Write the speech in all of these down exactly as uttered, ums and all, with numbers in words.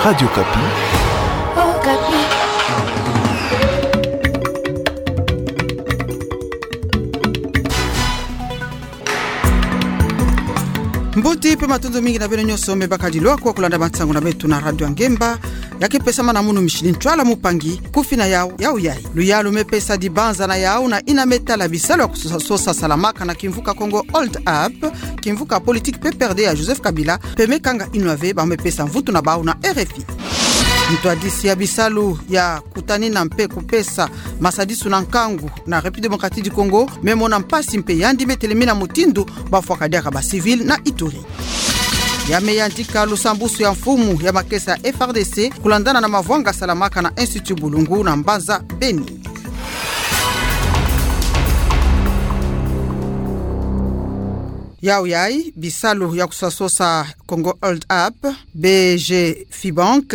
Radio Okapi. Okapi. Mbuti mpe matundu mingi na beno nyonso me bakadi lwakwa kulanda bansangu na beto na Radio Ngemba, ya ke pesamana munu mishini ntwala mupangi, kufi na yau, yau yai. Luyalu me pesa dibanza na yau na ina me tala bisalu ya kusosa salamaka na kimvuka Congo Hold Up, kimvuka politique P P R D ya Joseph Kabila, mpe me kanga inwa ve bau me pesa mvutu na bau na R F I. Ntwadisi ya bisalu ya kutanina mpe kupesa masadisu na nkangu na République Démocratique du Congo me mona mpasi mpe yandi me telemina mutindu bafwaka diaka ba civils na Ituri. Ya me yantika lusambusu ya mfumu ya makesa ya F R D C kulandana na mavwanga salamaka na Institut Bulungu na mbanza Beni. Yau yai, bisalu ya kusosa Congo Hold Up, B G Fibank,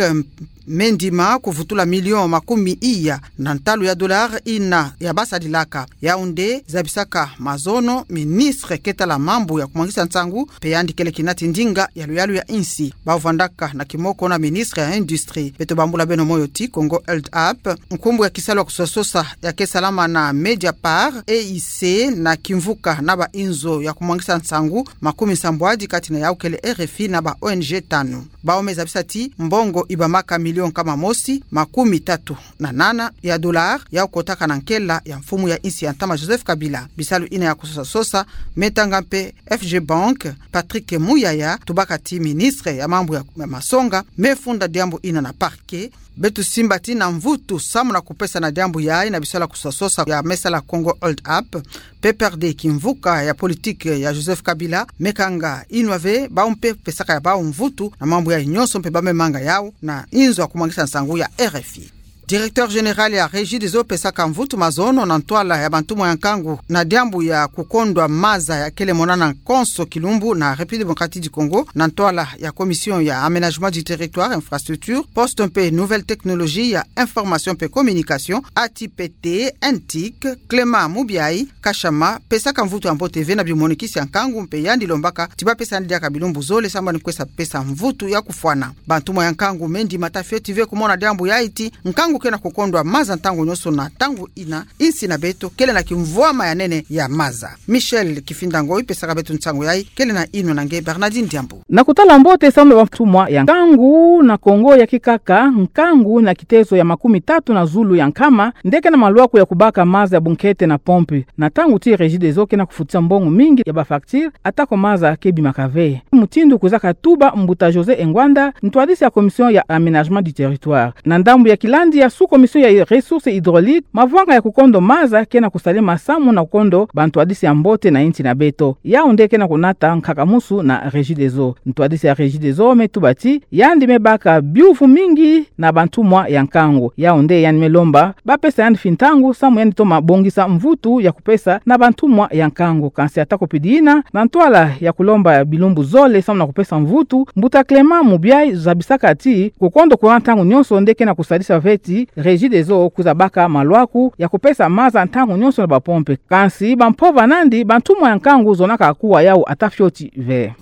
me ndima kuvutula million makumi iya na ntalu ya dollars ina ya basadilaka. Yau nde zabisaka mazono ministre ke tala mambu ya kumwangisa nsangu, mpe yandi kele kinati ndinga ya luyalu ya insi. Bau vandaka na kimoko na ministre ya Industrie. Beto bambula beno moyo ti Congo Hold Up, nkumbu ya kisalu ya kusosa ya ke salama na Mediapart, E I C, na kimvuka na ba inzo ya kumwangisa nsangu makumi nsambwadi, kati na yau kele R F I na ba O N G tanu. Bau me zabisa ti mbongo ibamaka million nkama mosi, makumi tatu na nana ya dollars, yau kotaka na nkela ya mfumu ya insi ya ntama Joseph Kabila. Bisalu ina ya kusosa sosa me tanga mpe F G Bank, Patrick Muyaya, tubaka ti ministre ya mambu ya, ya masonga, me funda diambu ina na parquet. Beto simba ti na mvutu samu na kupesa na diambu yai na bisalu ya kusosa sosa ya me sala Congo Hold Up, P P R D, kimvuka ya politique ya Joseph Kabila, me kanga inwa ve bau mpe pesaka ya bau mvutu na mambu yai nyonso mpe bau me manga yau na inzo ya kumwangisa nsangu ya R F I. Directeur général ya Regideso pesaka mvutu mazono na ntwala ya bantumwa ya nkangu na diambu ya kukondwa maza ya kele monana konso kilumbu na République Démocratique du Congo, na ntwala ya Commission ya Aménagement du Territoire, Infrastructure, Poste mpe Nouvelles Technologies ya Information mpe Communication, A T P T, N T I C, Clément Mubiayi Kashama, pesaka mvutu ya mbote ve na bimonikisi ya nkangu mpe yandi lombaka ti bapesa yandi diaka bilumbu zole samu ni kwesa pesa mvutu ya kufwana. Bantumwa ya nkangu me ndima ta fioti ve kumona diambu yai ti nkangu ke na kukondwa maza ntangu nyonso na ntangu ina insi na beto kele na kimvwama ya nene ya maza. Michel Kifinda Ngoyi pesaka beto nsangu yai, kele na inwa na nge Bernardine Diambu. Na kutala mbote samu na bantumwa ya nkangu na Congo ya kikaka, nkangu na kitezo ya makumi tatu na zulu ya nkama nde ke na malwaku ya kubaka maza ya bunkete na pompe, na ntangu ti Regideso ke na kufutisa mbongo mingi ya ba facture, atako maza ke bimaka ve. Mutindu kwizaka tuba mbuta José Engwanda, ntwadisi ya Commission ya Aménagement du Territoire. Na ndambu ya kilandi ya sous-commission ya ressources hydrauliques, mavwanga ya kukondo maza ke na kusalema samu na kukondo bantwadisi ya mbote na insi na beto. Yau nde ke na kunata nkakamusu na Regideso. Ntwadisi ya Regideso me tuba ti yandi me baka biuvu mingi na bantumwa ya nkangu. Yau nde yandi me lomba bapesa yandi fintangu samu yandi toma bongisa mvutu ya kupesa na bantumwa ya nkangu. Kansi atako pidina, na ntwala ya kulomba bilumbu zole samu na kupesa mvutu, mbuta Clément Mubiayi zabisaka ti kukondo courant ntangu nyonso nde ke na kusalisa ve ti Regideso kwiza baka malwaku ya kupesa maza ntangu nyonso na bapompe. Kansi bampova nandi, bantumwa ya nkangu zonaka kuwa yau ata fioti ve.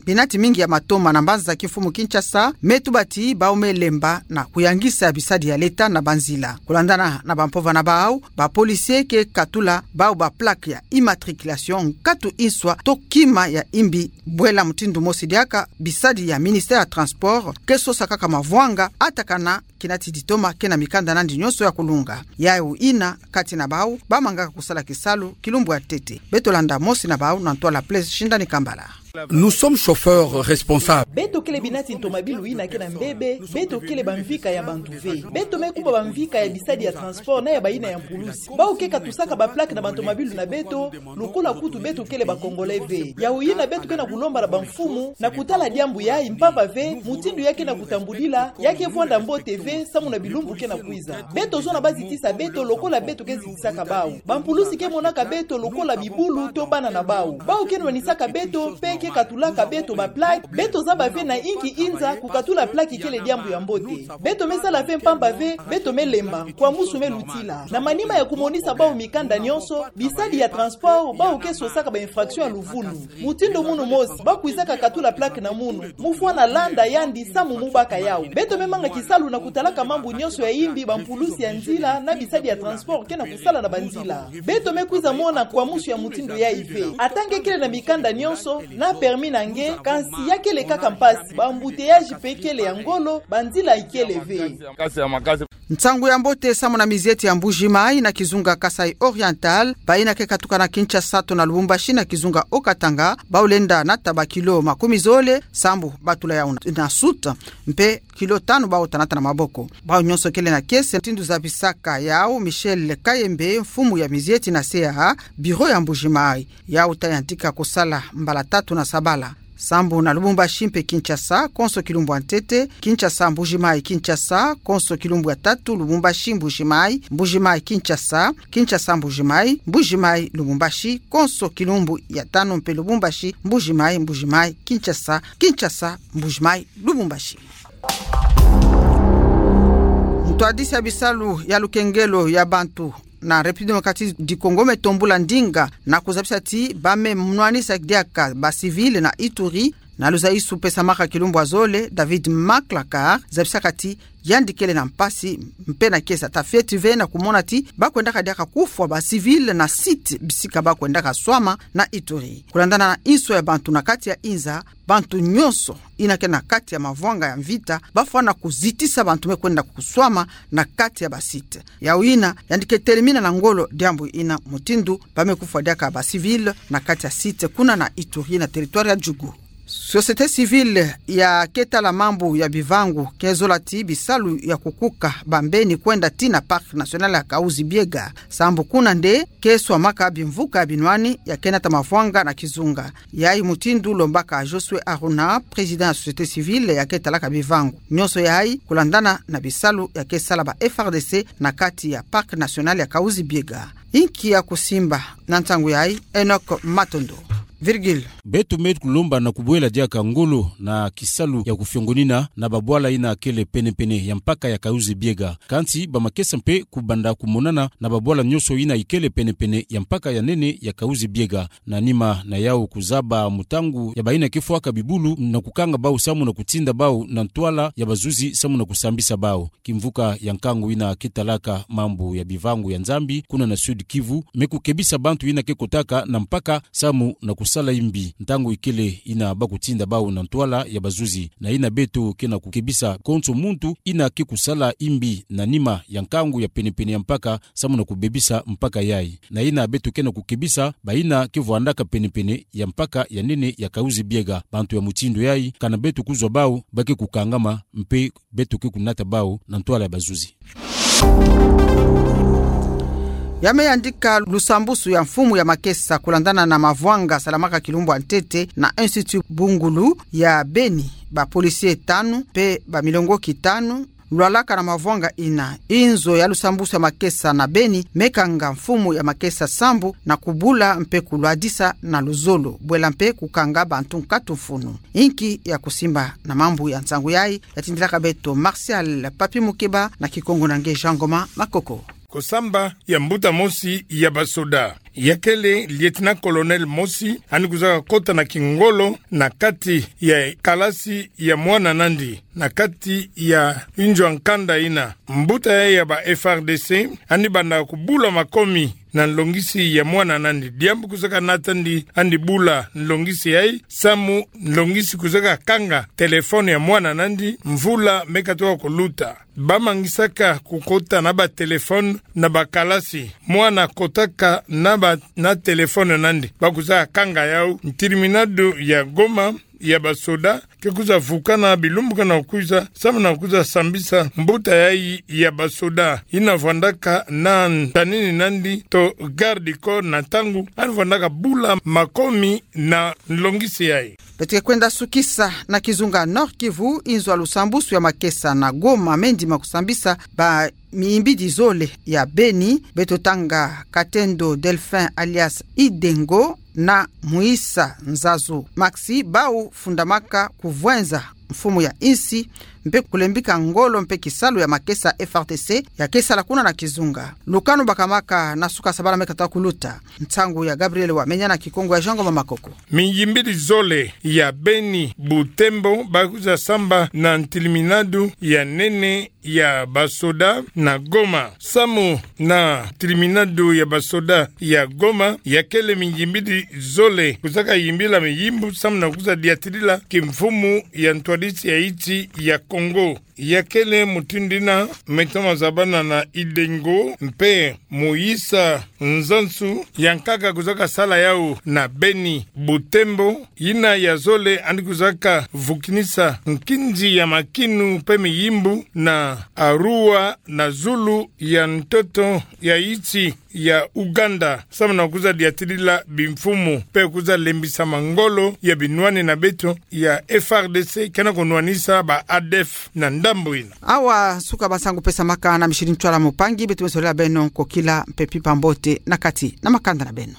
Binati mingi ya matoma na mbanza za kimfumu Kinshasa me tuba ti bau me lemba na kuyangisa bisadi ya leta na banzila. Kulandana na bampova na bau, ba policiers ke katula bau ba plaque ya immatriculation nkatu inswa to kima ya imbi. Bwela mutindu mosi diaka, bisadi ya ministère ya transport ke sosa kaka mavwanga atakana kinati ditoma ke na mikanda nandi nyonso ya kulunga. Yau ina, kati na bau bamangaka kusala kisalu kilumbu ya ntete. Beto landa mosi na bau na ntwala Blaise Shindani Kambala. Nous sommes chauffeurs responsables. Beto kele binati ntomabilu ina ke na mbebe, beto kele bamvika ya bantu ve. Beto me kuba bamvika ya bisadi ya transport na ya bayina ya mpulusi. Bau ke katusaka ba plaque na bantomabilu na beto, lokola kutu beto kele ba Congolais ve. Yau ina beto ke na kulomba na bamfumu na kutala diambu yai mpamba ve, mutindu ya ke na kutambudila, ya ke vwanda mbote ve. te samu na bilumbu ke na kwiza. Beto zona bazitisa beto lokola beto ke zitisaka bau. Bampulusi ke monaka beto lokola bibulu to bana na bau. Bau ke nwanisaka beto mpe ke katulaka beto baplaque. Beto zaba ve na inki inza kukatula plaque ikele diambu ya mbote. Beto me sala ve mpamba ve, beto me lemba, kwa musu me lutila. Na manima ya kumonisa bau mikanda nyonso, bisadi ya transport, bau ke sosaka ba infraction ya luvunu. Mutindu munu mosi, ba kwizaka katula plaque na munu, mu fwana landa yandi samu mu baka yau. Beto me manga kisalu na kutalaka mambu nyonso ya imbi bampulusi ya nzila na bisadi ya transport ke na kusala na banzila. Beto me kwiza mona kwa musu ya mutindu yai ve. Ata nge kele na mikanda nyonso, na permis na nge, kansi ya kele kaka mpasi, ba embouteillage mpe kele ya ngolo, banzila ikele ve. Nsangu ya mbote samu na mizieti ya Mbuji-Mayi na kizunga Kasaï Oriental, bayina ke katuka na Kinshasa to na Lubumbashi na kizunga Haut-Katanga, bau lenda nata ba kilo makumi zole, sambu batula yau na soute, mpe kilo tanu bau ta nata na maboko. Bau nyonso kele na kiese, mutindu zabisaka yau Michel Kayembe, mfumu ya mizieti na se ya bureau ya Mbuji-Mayi. Yau ta yantika kusala mbala tatu na sabala. Sambu na Lubumbashi mpe Kinshasa, konso kilumbu ya ntete, Kinshasa Mbuji-Mayi Kinshasa, konso kilumbu ya tatu, Lubumbashi Mbuji-Mayi, Mbuji-Mayi Kinshasa, Kinshasa Mbuji-Mayi, Mbuji-Mayi Lubumbashi, konso kilumbu ya tanu mpe Lubumbashi Mbuji-Mayi, Mbuji-Mayi Kinshasa, Kinshasa Mbuji-Mayi Lubumbashi. Ntwadisi ya bisalu ya lukengelo ya bantu na République Démocratique du Congo me tombula ndinga na kuzabisa ti ba me nwanisa diaka ba civil na Ituri, na luzaisu pesamaka kilumbu ya zole, David Maklakar zabisaka ti yandi kele na mpasi mpe na kiese, ata fioti ve na kumona ti ba kwendaka diaka kufwa ba civil na site bisika ba kwendaka swama na Ituri. Kulandana na inso ya bantu na kati ya inza, bantu nyonso yina ke na kati ya mavwanga ya mvita, ba fwana kuzitisa bantu me kwenda kuswama na kati ya ba site. Yau yina yandi ke telimina na ngolo diambu yina, mutindu ba me kufwa diaka ba civil na kati ya site kuna na Ituri na territoire ya Djugu. Société civile ya ke tala mambu ya bivangu ke zola ti bisalu ya kukuka ba mbeni kwenda tii na Parc National ya Kahuzi-Biega, sambu kuna nde ke swamaka bimvuka ya binwani ya ke nata mavwanga na kizunga. Yai mutindu lombaka Josué Aruna, président ya société civile ya ke talaka bivangu. Nyonso yai kulandana na bisalu ya ke sala ba F R D C na kati ya Parc National ya Kahuzi-Biega. Inki ya kusimba na ntangu yai? Enoch Matondo. Virgile. Beto me kulomba na kubwela diaka ngolo na kisalu ya kufiongonina na babwala yina kele pene-pene ya mpaka ya Kahuzi-Biega. Kansi ba makesa mpe kubanda kumonana na babwala nyonso yina ikele pene-pene ya mpaka ya nene ya Kahuzi-Biega. Na nima na yau kuzaba mutangu ya bayina ke fwaka bibulu na kukanga bau samu na kutinda bau na ntwala ya bazuzi samu na kusambisa bau. Kimvuka ya nkangu yina ke talaka mambu ya bivangu ya Nzambi kuna na Sud-Kivu me kukebisa bantu yina ke kotaka na mpaka samu na kusala yimbi. Ntangu ikele yina ba kutinda bau na ntwala ya bazuzi. Na yina beto ke na kukebisa konso muntu yina ke kusala yimbi na nima ya nkangu ya pene-pene ya mpaka samu na kubebisa mpaka yai. Na yina beto ke na kukebisa bayina ke vwandaka pene-pene ya mpaka ya nene ya Kahuzi-Biega. Bantu ya mutindu yai, kana beto kuzwa bau, ba ke kukangama, mpe beto ke kunata bau na ntwala ya bazuzi. Ya me yandika lusambusu ya mfumu ya makesa kulandana na mavwanga salamaka kilumbu ya ntete na Institut Bungulu ya Beni, ba policier tanu mpe ba milongoki tanu lwalaka na mavwanga yina. Inzo ya lusambusu ya makesa na Beni me kanga mfumu ya makesa sambu na kubula mpe kulwadisa na luzolo, bwela mpe kukanga bantu nkatu mfunu. Inki ya kusimba na mambu ya nsangu yai? Ya tindilaka beto Martial Papi Mukeba na kikongo na nge Jean Ngoma Makoko. Kusamba ya mbuta mosi ya basoda, ya kele lieutenant-colonel mosi, yandi kuzaka kota na kingolo na kati ya kalasi ya mwana nandi, na kati ya inzo ya nkanda yina. Mbuta yai ya ba F R D C yandi banda kubula makomi na nlongisi ya mwana nandi. Diambu kuzaka nata yandi yandi bula nlongisi yai, samu nlongisi kuzaka kanga téléphone ya mwana nandi mvula me katoka kuluta. Ba mangisaka kukota na ba téléphone na ba kalasi. Mwana kotaka na ba, na téléphone nandi, ba kuzaka kanga yau. Ntiriminadu ya Goma ya basoda ke kwiza vukana bilumbu kana kwiza, samu na kwiza sambisa mbuta yayi ya basoda, ina vwandaka na ntanini nandi to garde du corps na ntangu ani vwandaka bula makomi na nlongisi yayi. Beto ke kwenda sukisa na kizunga Nord-Kivu, inzo ya lusambusu ya makesa na Goma mendima kusambisa ba miyimbidi zole ya beni, beto tanga Katendo Delphin alias Idengo na Muisa Nzazu Maxi, bau fundamaka kuvwenza mfumu ya insi, mpe kulembika ngolo mpe kisalu ya makesa F R D C ya ke sala kuna na kizunga. Lukanu bakamaka na suka sabala me kata kuluta. Nsangu ya Gabriel Wamenya na kikongo ya Jean Ngoma Makoko. Miyimbidi zole ya beni Butembo bakwiza samba na ntiliminadu ya nene ya basoda na Goma. Samu na ntiliminadu ya basoda ya Goma, ya kele miyimbidi zole kwizaka yimbila miyimbu samu na kwiza diatilila kimfumu ya ntwadisi ya insi ya Kongo. Ya kele mutindu ina Maître Mazabana na Idengo mpe Muisa Nzazu, yankaka kwizaka sala yau na beni Butembo, ina ya zole ani kwizaka vukinisa nkinzi ya makinu mpe miyimbu na Arua na zulu ya ntoto ya insi ya Uganda, samu na kwiza diatilila bimfumu, mpe kwiza lembisa mangolo ya binwani na beto ya F R D C, kena kunwanisa ba A D F na ndambu ina. Awa suka ba nsangu pesamaka na Micheline Ntwala Mupangi, beto me solela beno nkokila mpe mpimpa mbote na kati na makanda na beno.